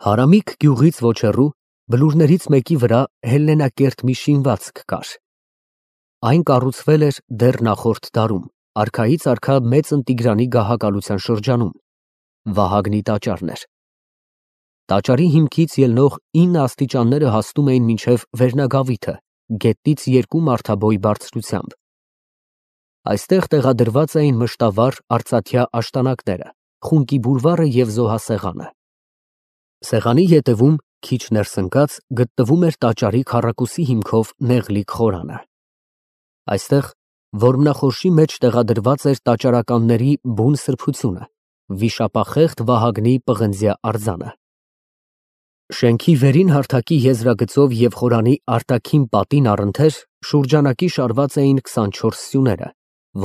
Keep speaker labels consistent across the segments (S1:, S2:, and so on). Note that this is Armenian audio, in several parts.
S1: Հարամիկ գյուղից ոչ հեռու բլուրներից մեկի վրա հելլենակերտ մի շինվածք կար։ Այն կառուցվել էր դեռ նախորդ դարում, արքայից արքա Մեծն Տիգրանի գահակալության շրջանում, Վահագնի տաճարն էր։ Տաճարի հիմքից ելնող 9 աստիճանները հասնում էին մինչև վերնագավիթը, գետից 2 մարդաբոյ բարձրությամբ։ Այստեղ տեղադրված էին մշտավառ արծաթյա աշտանակները, խունկի բուրվարը և զոհասեղանը։ Սեղանի ետևում, քիչ ներս ընկած, գտնվում էր տաճարի քառակուսի հիմքով նեղլիկ խորանը։ Այստեղ որմնախորշի մեջ տեղադրված էր տաճարականների բուն սրբությունը, վիշապախեղտ Վահագնի պղնձյա արձանը։ Շենքի վերին հարթակի եզրագծով և խորանի արտաքին պատին առընթեր շուրջանակի շարված էին 24 սյուները,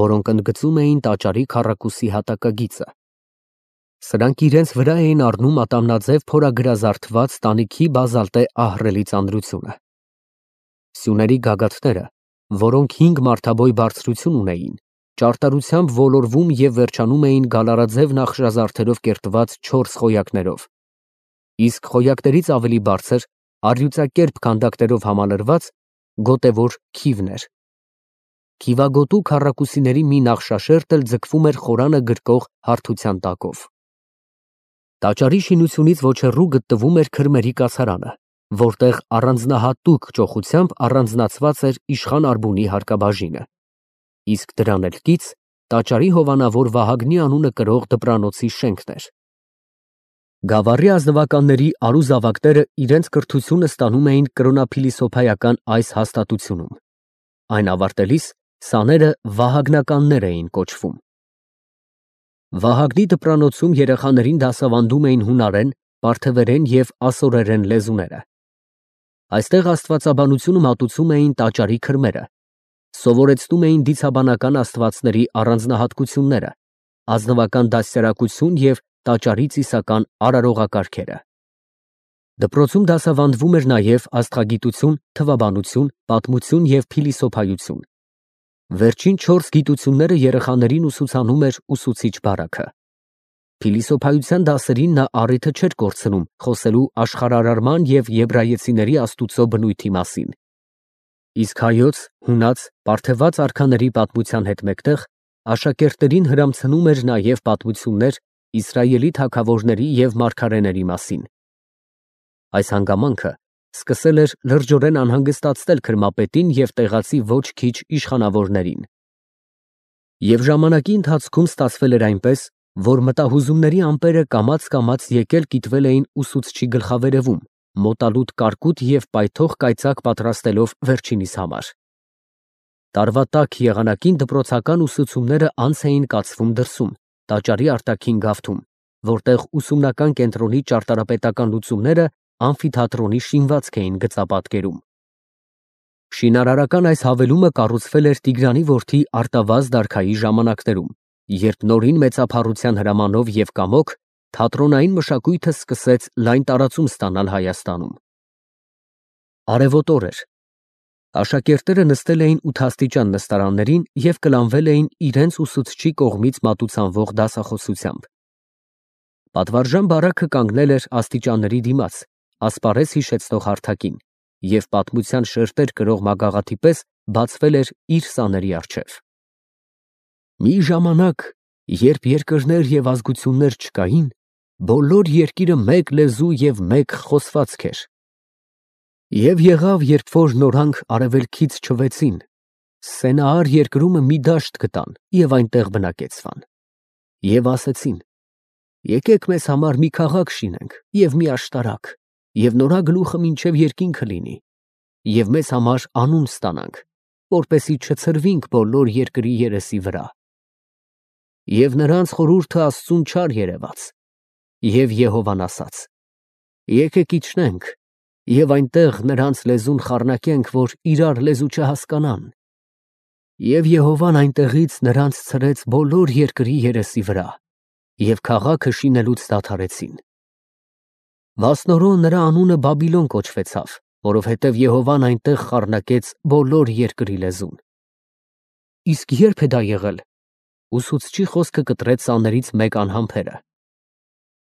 S1: որոնք ընդգծում էին տաճարի քառակուսի հատակագիծը։ Սրանք իրենց վրա էին առնում ատամնաձև փորագրազարդված տանիքի բազալտե ահռելի ծանրությունը։ Սյուների գագաթները, որոնք 5 մարդաբոյ բարձրություն ունեին, ճարտարությամբ ոլորվում և վերջանում էին գալարաձև նախշազարդերով կերտված 4 խոյակներով, իսկ խոյակներից ավելի բարձր, առյուծակերպ քանդակներով համալրված գոտևոր քիվն էր։ Քիվագոտու քառակուսիների մի նախշաշերտ էլ ձգվում էր խորանը գրկող հարթության տակով։ Տաճարի շինությունից ոչ հեռու գտնվում էր քրմերի կացարանը, որտեղ առանձնահատուկ ճոխությամբ առանձնացված էր իշխան Արբունի հարկաբաժինը, իսկ դրան էլ կից տաճարի հովանավոր Վահագնի անունը կրող դպրանոցի շենքն էր։ Գավառի ազնվականների արու-զավակները իրենց կրթությունը ստանում էին կրոնափիլիսոփայական այս հաստատությունում։ Այն ավարտելիս սաները վահագնականներ էին կոչվում։ Վահագնի դպրանոցում երեխաներին դասավանդում էին հունարեն, պարթևերեն և ասորերեն լեզուները։ Այստեղ աստվածաբանությունը մատուցում էին տաճարի քրմերը, սովորեցնում էին դիցաբանական աստվածների առանձնահատկությունները, ազնվական դաստիարակություն և տաճարի ծիսական արարողակարգերը։ Դպրոցում դասավանդվում էր նաև աստղագիտություն, թվաբանություն, պատմություն և փիլիսոփայություն։ Վերջին 4 գիտությունները երեխաներին ուսուցանում էր ուսուցիչ բարակը։ Փիլիսոփայության դասերին նա առիթը չէր կորցնում խոսելու աշխարհարարման և եբրայեցիների Աստուծո բնույթի մասին։ Իսկ հայոց, հունաց, պարթևաց արքաների պատմության հետ մեկտեղ աշակերտներին հրամցնում էր նաև պատմություններ Իսրայելի թագավորների և մարգարեների մասին։ Այս հանգամանքը սկսել էր լրջորեն անհանգստացնել քրմապետին և տեղացի ոչ քիչ իշխանավորներին։ Եվ ժամանակի ընթացքում ստացվել էր այնպես, որ մտահուզումների ամպերը կամաց եկել կիտվել էին ուսուցչի գլխավերևում, մոտալուտ կարկուտ և պայթող կայծակ պատրաստելով վերջինիս համար։ Տարվա տաք եղանակին դպրոցական ուսուցումները անց էին կացվում դրսում, տաճարի արտաքին գավթում, որտեղ ուսումնական կենտրոնի ճարտարապետական լուծումները ամֆիթատրոնի շինվածք էին գծապատկերում։ Շինարարական այս հավելումը կառուցվել էր Տիգրանի որդի Արտավազդ արքայի ժամանակներում, երբ նորին մեծափառության հրամանով և կամոք թատրոնային մշակույթը սկսեց լայն տարածում ստանալ Հայաստանում։ Արևոտ օր էր։ Աշակերտները նստել էին ութաստիճան նստարաններին և կլանվել էին իրենց ուսուցչի կողմից մատուցանվող դասախոսությամբ։ Պատվարժան բարակը կանգնել էր աստիճանների դիմաց, ասպարեզ հիշեցնող հարթակին, և պատմության շերտեր կրող մագաղաթի պես բացվել էր իր սաների առջև։ Մի ժամանակ, երբ երկրներ և ազգություններ չկային, բոլոր երկիրը մեկ լեզու և մեկ խոսվածք էր։ Եվ եղավ, երբ որ նորանք արևելքից չվեցին, Սենաար երկրումը մի դաշտ գտան և այնտեղ բնակեցվան։ Եվ ասեցին. եկեք մեզ համար մի քաղաք շինենք և մի աշտարակ, և նորա գլուխը մինչև երկինքը լինի, և մեզ համար անուն ստանանք, որպեսզի չցրվինք բոլոր երկրի երեսի վրա։ Եվ նրանց խորհուրդը Աստծուն չար երևաց, և Եհովան ասաց. եկեք իջնենք և այնտեղ նրանց լեզուն խառնակենք, որ իրար լեզու չհասկանան։ Եվ Եհովան այնտեղից նրանց ցրեց բոլոր երկրի երեսի վրա, և քաղաքը շինելուց դադարեցին։ Մասնորո նրա անունը Բաբիլոն կոչվեցավ, որովհետև Եհովան այնտեղ խառնակեց բոլոր երկրի լեզուն։ Իսկ ե՞րբ է դա եղել։ Ուսուցչի խոսքը կտրեց սաներից մեկ անհամբերը։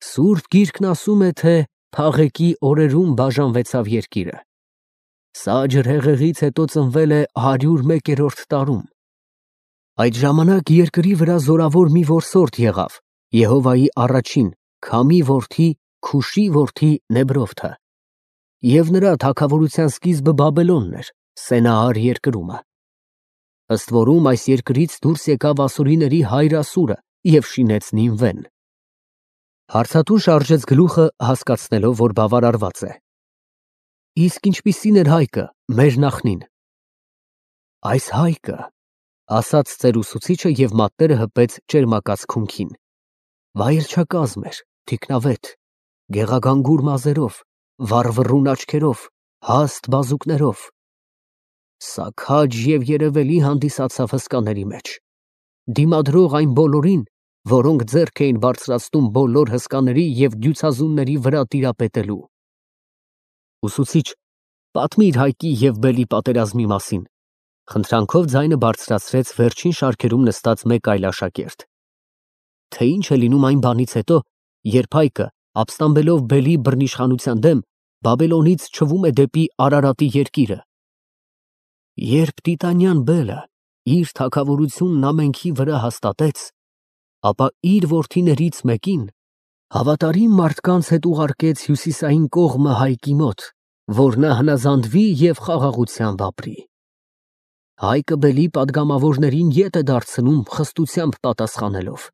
S1: Սուրբ Գիրքն ասում է, թե Փաղեկի օրերում բաժանվեցավ երկիրը։ Սա ջրհեղեղից հետո ծնվել է 101-րդ տարում։ Այդ ժամանակ երկրի վրա զորավոր մի որսորդ եղավ, Եհովայի առաջին, Քամի որդի, Քուշի որդի Նեբրովթը։ Եվ նրա թագավորության սկիզբը Բաբելոնն էր, Սենաար երկրումը։ Ըստ որում այս երկրից դուրս եկավ ասորիների հայր Ասուրը և շինեց Նինվեն։ Հարցատուն շարժեց գլուխը, հասկացնելով, որ բավարարված է։ Իսկ ինչպիսին էր Հայկը, մեր նախնին։ Այս Հայկը, ասաց ծեր ուսուցիչը և մատները հպեց ճերմակած քունքին, վայրչակազմ էր, թիկնավետ, գեղագանգուր մազերով, վառվռուն աչքերով, հաստ բազուկներով։ Սա քաջ և երևելի հանդիսացավ հսկաների մեջ, դիմադրող այն բոլորին, որոնք ձեռք էին բարձրացնում բոլոր հսկաների և դյուցազունների վրա տիրապետելու։ Ուսուցիչ, պատմիր Հայկի և Բելի պատերազմի մասին, խնդրանքով ձայնը բարձրացրեց վերջին շարքերում նստած մեկ այլ աշակերտ։ Թե ինչ է լինում այն բանից հետո, երբ Հայկը, ապստամբելով Բելի բռնիշխանության դեմ, Բաբելոնից չվում է դեպի Արարատի երկիրը։ Երբ Տիտանյան Բելը իր թագավորությունն ամենքի վրա հաստատեց, ապա իր որդիներից մեկին հավատարիմ մարդկանց հետ ուղարկեց հյուսիսային կողմը Հայկի մոտ, որ նա հնազանդվի և խաղաղությամբ ապրի։ Հայկը Բելի պատգամավորներին ետ է դարձնում խստությամբ պատասխանելով։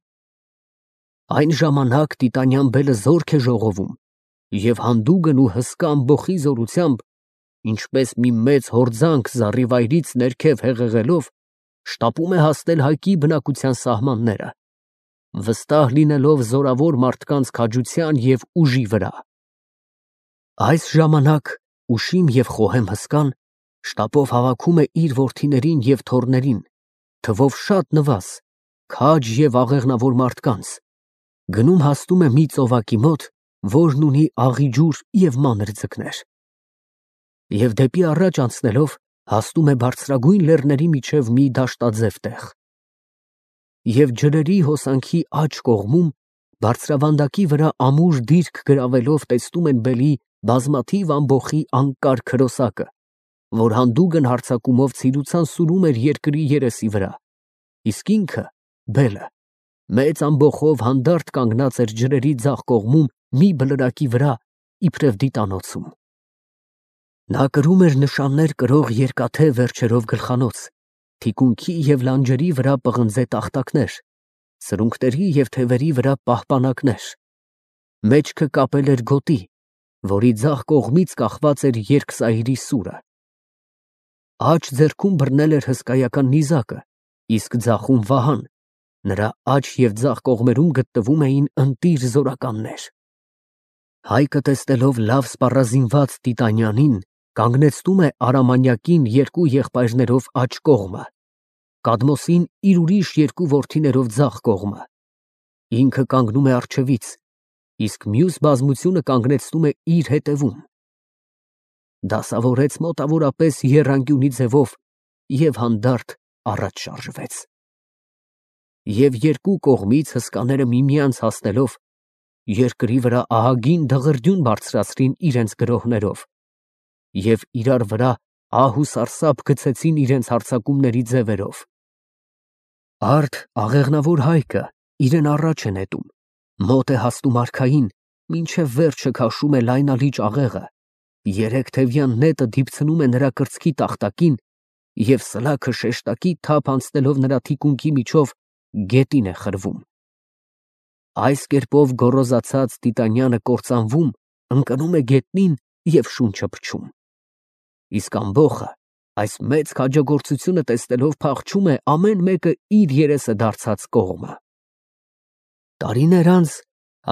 S1: Այն ժամանակ Տիտանյան Բելը զորք է ժողովում և հանդուգն ու հսկա ամբոխի զորությամբ, ինչպես մի մեծ հորձանք զառիվայրից ներքև հեղեղելով, շտապում է հասնել Հայկի բնակության սահմանները, վստահ լինելով զորավոր մարդկանց քաջության և ուժի վրա։ Այս ժամանակ ուշիմ և խոհեմ հսկան շտապով հավաքում է իր որդիներին և թոռներին, թվով շատ նվազ, քաջ և աղեղնավոր մարդկանց, գնում հասնում է մի ծովակի մոտ, որն ունի աղի ջուր և մանր ձկներ։ Եվ դեպի առաջ անցնելով հասնում է բարձրագույն լեռների միջև մի դաշտաձև տեղ։ Եվ ջրերի հոսանքի աջ կողմում, բարձրավանդակի վրա ամուր դիրք գրավելով տեսնում են Բելի բազմաթիվ ամբոխի անկար քրոսակը, որ հանդուգն հարձակումով ցիրուցան սուրում էր երկրի երեսի վրա, իսկ ինքը, Բելը, մեծ ամբոխով հանդարտ կանգնած էր ջրերի ձախ կողմում մի բլրակի վրա, իբրև դիտանոցում։ Նա կրում էր նշաններ կրող երկաթե վերջերով գլխանոց, թիկունքի և լանջերի վրա պղնձե տախտակներ, սրունքների և թևերի վրա պահպանակներ, մեջքը կապել էր գոտի, որի ձախ կողմից կախված էր երկսայրի սուրը։ Աջ ձեռքում բռնել էր հսկայական նիզակը, իսկ ձախում վահան, նրա աջ և ձախ կողմերում գտնվում էին ընտիր զորականներ։ Հայկը տեսնելով լավ սպառազինված Տիտանյանին, կանգնեցնում է Արամանյակին երկու եղբայրներով աջ կողմը, Կադմոսին իր ուրիշ երկու որդիներով ձախ կողմը, ինքը կանգնում է առջևից, իսկ մյուս բազմությունը կանգնեցնում է իր հետևում։ Դասավորեց մոտավորապես եռանկյունի ձևով և հանդարտ առաջ շարժվեց։ Եվ երկու կողմից հսկաները միմյանց հասնելով, երկրի վրա ահագին դղրդյուն բարձրացրին իրենց գրոհներով և իրար վրա ահ ու սարսափ գցեցին իրենց հարձակումների ձևերով։ Արդ աղեղնավոր Հայկը իրեն առաջ է նետում, մոտ է հասնում արքային, մինչև վերջը քաշում է լայնալիճ աղեղը, երեք թևյան նետը դիպցնում է նրա կրծքի տախտակին և սլաքը շեշտակի թափ անցնելով նրա թիկունքի միջով գետին է խրվում։ Այս կերպով գոռոզացած Տիտանյանը կործանվում, ընկնում է գետնին և շունչը փչում։ Իսկ ամբոխը այս մեծ քաջագործությունը տեսնելով փախչում է ամեն մեկը իր երեսը դարձած կողմը։ Տարիներ անց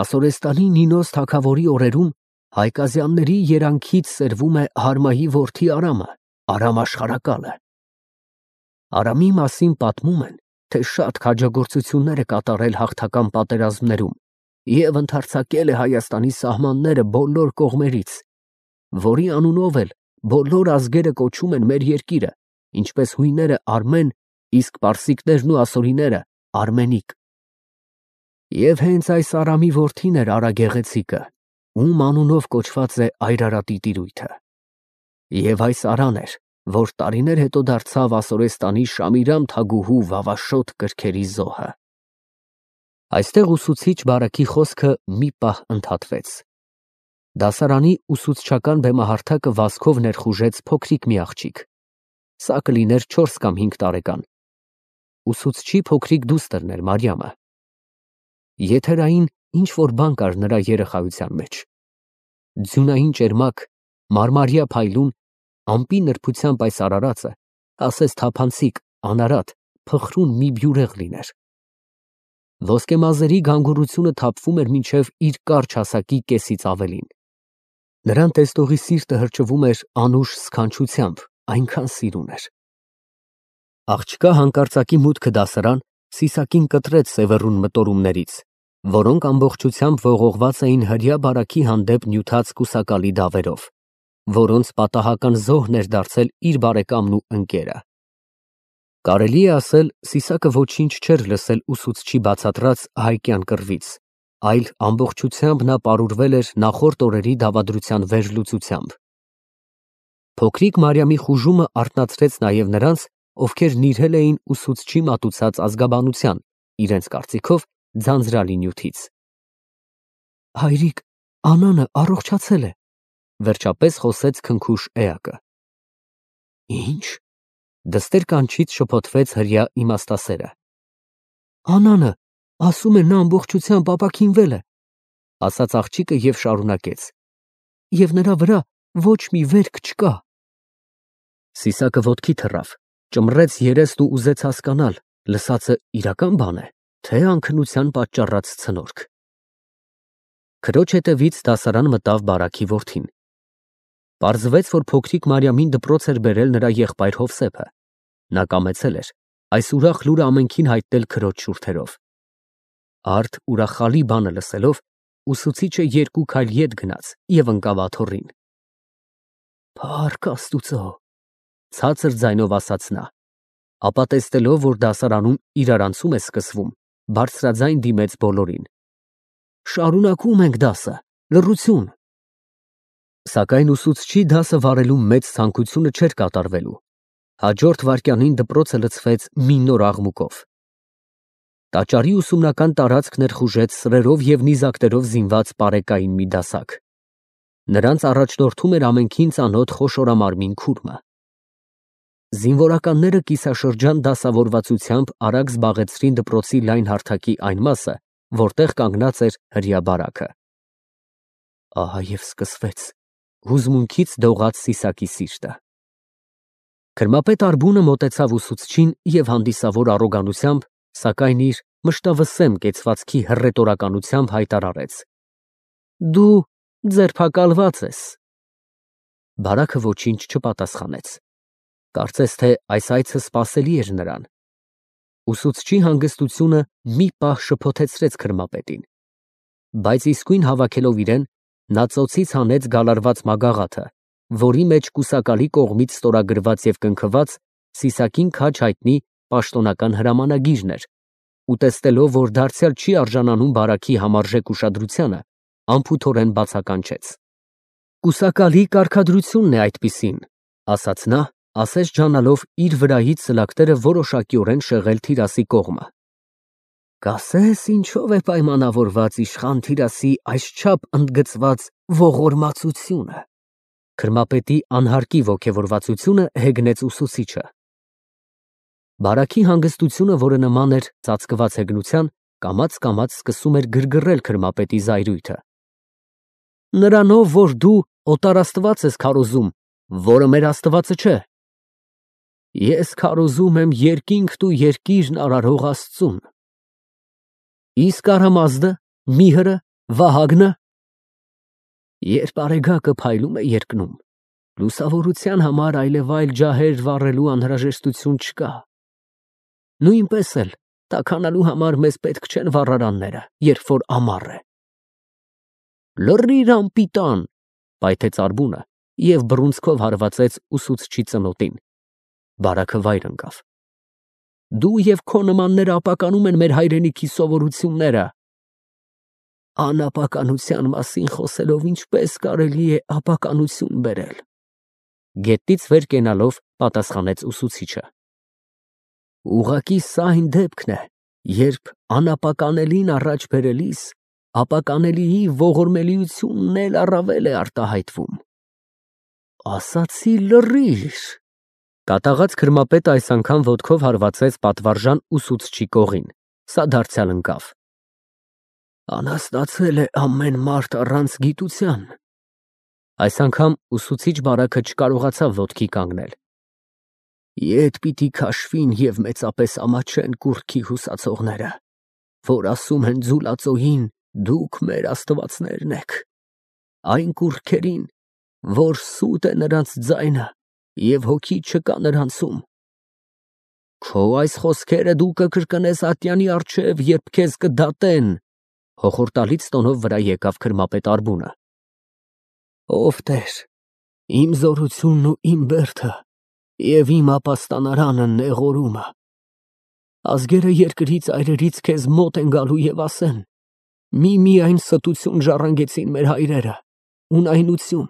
S1: Ասորեստանի Նինոս թագավորի օրերում Հայկազյանների երանքից սերվում է Հարմայի որդի Արամը, Արամ աշխարհակալը։ Արամի մասին պատմում են, թե շատ քաջագործություններ է կատարել հաղթական պատերազմներում և ընդարձակել է Հայաստանի սահմանները բոլոր կողմերից, որի անունով էլ բոլոր ազգերը կոչում են մեր երկիրը, ինչպես հույները Արմեն, իսկ պարսիկներն ու ասորիները Արմենիկ։ Եվ հենց այս Արամի որդին էր Արա Գեղեցիկը, ում անունով կոչված է Այրարատի տիրույթը։ Եվ այս Արան էր, որ տարիներ հետո դարձավ Ասորեստանի Շամիրամ թագուհու վավաշոտ կրքերի զոհը։ Այստեղ ուսուցիչ Բարակի խոսքը մի պահ ընդհատվեց։ Դասարանի ուսուցչական բեմահարթակը վազքով ներխուժեց փոքրիկ մի աղջիկ։ Սա կլիներ 4 կամ 5 տարեկան։ Ուսուցչի փոքրիկ դուստրն էր Մարիամը։ Եթերային ինչ-որ բան կար նրա երեխայության մեջ։ Ձյունային ճերմակ, մարմարյա փայլուն, ամպի նրբությամբ այս արարածը, ասես թափանցիկ, անարատ, փխրուն մի բյուրեղ լիներ։ Ոսկեմազերի գանգուրությունը թափվում էր մինչև իր կարճ հասակի կեսից ավելին։ Նրան տեսնողի սիրտը հրճվում էր անուշ սքանչությամբ, այնքան սիրուն էր։ Աղջկա հանկարծակի մուտքը դասարան Սիսակին կտրեց սևեռուն մտորումներից, որոնք ամբողջությամբ ողողված էին հրյա Բարակի հանդեպ նյութած կուսակալի դավերով, որոնց պատահական զոհն էր դարձել իր բարեկամն ու ընկերը։ Կարելի է ասել, Սիսակը ոչինչ չէր լսել ուսուցչի բացատրած հայկյան կռվից, այլ ամբողջությամբ նա պարուրվել էր նախորդ օրերի դավադրության վերլուծությամբ։ Փոքրիկ Մարիամի խուժումը արթնացրեց նաև նրանց, ովքեր նիրհել էին ուսուցչի մատուցած ազգաբանության, իրենց կարծիքով ձանձրալի նյութից։ Հայրիկ, Անանը առողջացել է, վերջապես խոսեց քնքուշ էակը։ Ինչ։ Դստեր կանչից շփոթվեց հրյա իմաստասերը։ Անանը, ասում է նա ամբողջությամբ ապաքինվել է, ասաց աղջիկը և շարունակեց։ Եվ նրա վրա ոչ մի վերք չկա։ Սիսակը ոտքի թռավ, ճմռեց երեսն ու ուզեց հասկանալ, լսածը իրական բան է, թե անքնության պատճառած ցնորք։ Քրոջ հետևից դասարան մտավ Բարակի որդին։ Պարզվեց, որ փոքրիկ Մարիամին դպրոց էր բերել նրա եղբայր Հովսեփը։ Նա կամեցել էր այս ուրախ լուրը ամենքին հայտնել քրոջ շուրթերով։ Արդ ուրախալի բանը լսելով, ուսուցիչը 2 քայլ ետ գնաց և ընկավ աթոռին։ Փառք Աստուծո, ցածր ձայնով ասաց նա, ապա տեսնելով, որ դասարանում իրարանցում է սկսվում, բարձրաձայն դիմեց բոլորին։ Շարունակում ենք դասը, լռություն։ Սակայն ուսուցչի դասը վարելու մեծ ցանկությունը չէր կատարվելու։ Հաջորդ վայրկյանին դպրոցը լցվեց մի նոր աղմուկով։ Տաճարի ուսումնական տարածքն ներխուժեց սրերով և նիզակներով զինված պարեկային մի դասակ։ Նրանց առաջնորդում էր ամենքին ծանոթ խոշորամարմին քուրմը։ Զինվորականները կիսաշրջան դասավորվածությամբ արագ զբաղեցրին դպրոցի լայն հարթակի այն մասը, որտեղ կանգնած էր հրյա Բարակը։ Ահա և սկսվեց, հուզմունքից դողաց Սիսակի սիրտը։ Քրմապետ Արբունը մոտեցավ ուսուցչին և հանդիսավոր առոգանությամբ, սակայն իր մշտավսեմ կեցվածքի հռետորականությամբ հայտարարեց. Դու ձերբակալված ես։ Բարակը ոչինչ չպատասխանեց։ Կարծես թե այս այցը սպասելի էր նրան։ Ուսուցչի հանգստությունը մի պահ շփոթեցրեց քրմապետին, բայց իսկույն հավաքելով իրեն, նա ծոցից հանեց գալարված մագաղաթը, որի մեջ կուսակալի կողմից ստորագրված և կնքված Սիսակին քաջ հայտնի պաշտոնական հրամանագիրն էր, ու տեսնելով, որ դարձյալ չի արժանանում Բարակի համարժեք ուշադրությանը, անփութորեն բացականչեց։ Կուսակալի կարգադրությունն է այդպիսին, ասաց նա, ասես ջանալով իր վրայից սլակները որոշակիորեն շեղել Թիրասի կողմը։ Կասես ինչով է պայմանավորված իշխան Թիրասի այսչափ ընդգծված ողորմածությունը։ Քրմապետի անհարկի ոգևորվածությունը հեգնեց ուսուցիչը։ Բարակի հանգստությունը, որը նման էր ծածկված հեգնության, կամաց սկսում էր գրգռել քրմապետի զայրույթը։ Նրանով, որ դու օտարաստված ես քարոզում, որը մեր Աստվածը չէ։ Ես քարոզում եմ երկինքն ու երկիրն արարող Աստծուն։ Իսկ Արամազդը, Միհրը, Վահագնը։ Երբ արեգակը փայլում է երկնում, լուսավորության համար այլևայլ ջահեր վառելու անհրաժեշտություն չկա։ Նույնպես էլ տաքանալու համար մեզ պետք չեն վառարանները, երբ որ ամառ է։ Լռիր անպիտան, պայթեց Արբունը և բռունցքով հարվածեց ուսուցչի ծնոտին։ Բարակը վայր ընկավ։ Դու և քո նմանները ապականում են մեր հայրենիքի սովորությունները։ Անապականության մասին խոսելով ինչպես կարելի է ապականություն բերել։ Գետից վեր կենալով պատասխանեց ուսուցիչը։ Ուղղակի սա այն դեպքն է, երբ անապականելին առաջ բերելիս ապականելիի ողորմելիությունն էլ առավել է արտահայտվում։ Ասացի լռիր։ Կատաղած քրմապետը այս անգամ ոտքով հարվածեց պատվարժան ուսուցչի կողին։ Սա դարձյալ ընկավ։ Անհասնացել է ամեն մարդ առանց գիտության։ Այս անգամ ուսուցիչ բարակը չկարողացավ ոտքի կանգնել։ Ետ պիտի քաշվին և մեծապես ամաչեն կուռքի հուսացողները, որ ասում են ձուլածոյին, դուք մեր աստվածներն եք, այն կուռքերին, որ սուտ է նրանց ձայնը և հոգի չկա նրանցում։ Քո այս խոսքերը դու կկրկնես ատյանի առջև, երբ քեզ կդատեն, հոխորտալից տոնով վրա եկավ քրմապետ Արբունը։ Ով Տեր, իմ զորությունն ու իմ բերդը և իմ ապաստանարանը նեղորումը։ Ազգերը երկրից այրերից քեզ մոտ են գալու և ասեն. միայն ստություն ժառանգեցին մեր հայրերը, ունայնություն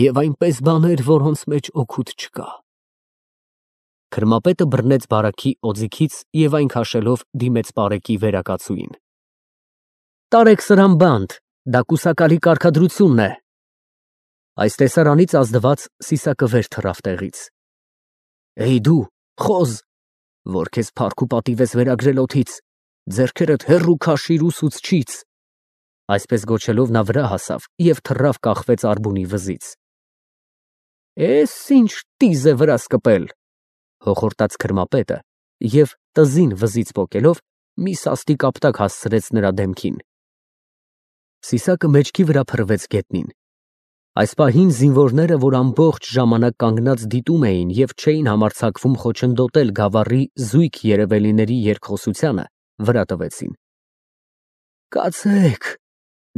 S1: և այնպես բաներ, որոնց մեջ օգուտ չկա։ Քրմապետը բռնեց բարաքի օձիքից և այն քաշելով դիմեց Պարեկի վերակացուին։ Տարեք սրան բանտ, դա կուսակալի կարգադրությունն է։ Այս տեսարանից ազդված Սիսակը վեր թռավ տեղից։ Էй դու, խոզ, որ քեզ փառք ու պատիվ ես վերագրել օդից, ձեռքերդ հեռու քաշիր ուսուցչից։ Այսպես գոչելով նա վրա հասավ և թռավ կախվեց Արբունի վզից։ Էս ինչ տիզ է վրաս կպել, հոխորտաց քրմապետը և տզին վզից պոկելով մի սաստիկ ապտակ հասցրեց նրա դեմքին։ Սիսակը մեջքի վրա փռվեց գետնին։ Այս պահին զինվորները, որ ամբողջ ժամանակ կանգնած դիտում էին և չէին համարձակվում խոչընդոտել գավառի զույգ երևելիների երկխոսությանը, վրա տվեցին։ Կացեք,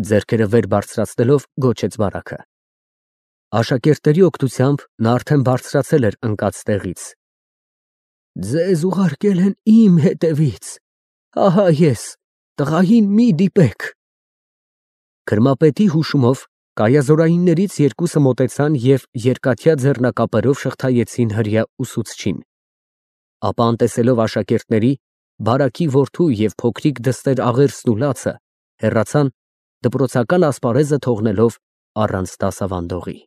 S1: ձեռքերը վեր բարձրացնելով գոչեց բարակը։ Աշակերտների օգնությամբ նա արդեն բարձրացել էր ընկած տեղից։ Ձեզ ուղարկել են իմ հետևից, ահա ես, տղային մի դիպեք։ Քրմապետի հուշումով կայազորայիններից երկուսը մոտեցան և երկաթյա ձեռնակապերով շղթայեցին հրեա ուսուցչին։ Ապա անտեսելով աշակերտների, բարակի որդու և փոքրիկ դստեր աղերսն ու լացը, հեռացան, դպրոցական ասպարեզը թողնելով առանց դասավանդողի։